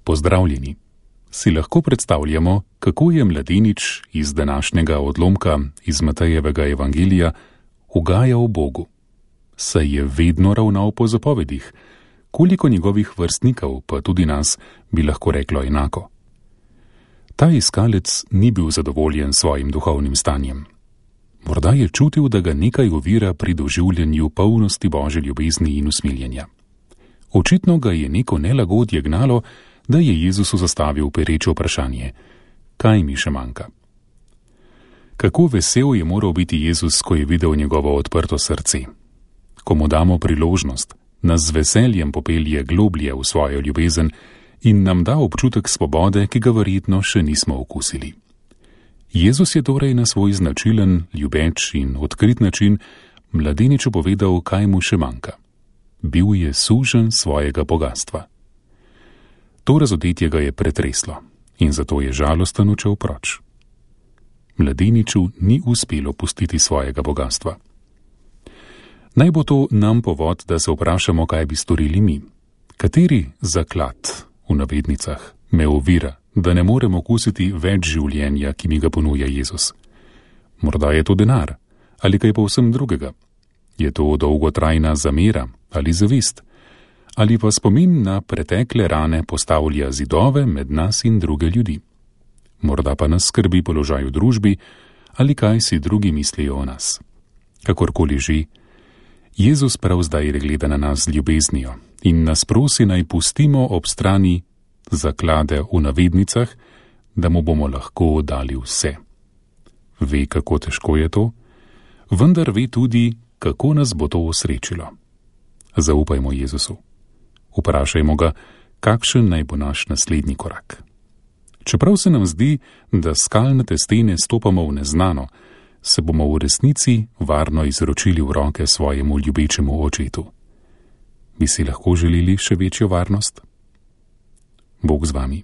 Pozdravljeni. Si lahko predstavljamo, kako je mladenič iz današnjega odlomka iz Matejevega evangelija ugajal Bogu. Saj je vedno ravnal po zapovedih, koliko njegovih vrstnikov, pa tudi nas, bi lahko reklo enako. Ta iskalec ni bil zadovoljen s svojim duhovnim stanjem. Morda je čutil, da ga nekaj ovira pri doživljanju polnosti Božje ljubezni in usmiljenja. Očitno ga je neko nelagodje gnalo, da je Jezusu zastavil pereče vprašanje: kaj mi še manjka? Kako vesel je moral biti Jezus, ko je videl njegovo odprto srce. Ko mu damo priložnost, nas z veseljem popelje globlje v svojo ljubezen in nam da občutek svobode, ki ga verjetno še nismo okusili. Jezus je torej na svoj značilen, ljubeč in odkrit način mladeniču povedal, kaj mu še manjka. Bil je sužen svojega bogastva. To razodetje ga je pretreslo in zato je žalosten odšel proč. Mladeniču ni uspelo pustiti svojega bogastva. Naj bo to nam povod, da se vprašamo, kaj bi storili mi. Kateri zaklad, v navednicah, me ovira, da ne morem okusiti več življenja, ki mi ga ponuja Jezus? Morda je to denar ali kaj povsem drugega. Je to dolgotrajna zamera ali zavist? Ali pa spomin na pretekle rane postavlja zidove med nas in druge ljudi? Morda pa nas skrbi položaj v družbi ali kaj si drugi mislijo o nas. Kakorkoli že, Jezus prav zdaj gleda na nas z ljubeznijo in nas prosi, naj pustimo ob strani zaklade v navednicah, da mu bomo lahko dali vse. Ve, kako težko je to, vendar ve tudi, kako nas bo to osrečilo. Zaupajmo Jezusu. Vprašajmo ga, kakšen naj bo naš naslednji korak. Čeprav se nam zdi, da skalnate stene stopamo v neznano, se bomo v resnici varno izročili v roke svojemu ljubečemu očetu. Bi si lahko želeli še večjo varnost? Bog z vami.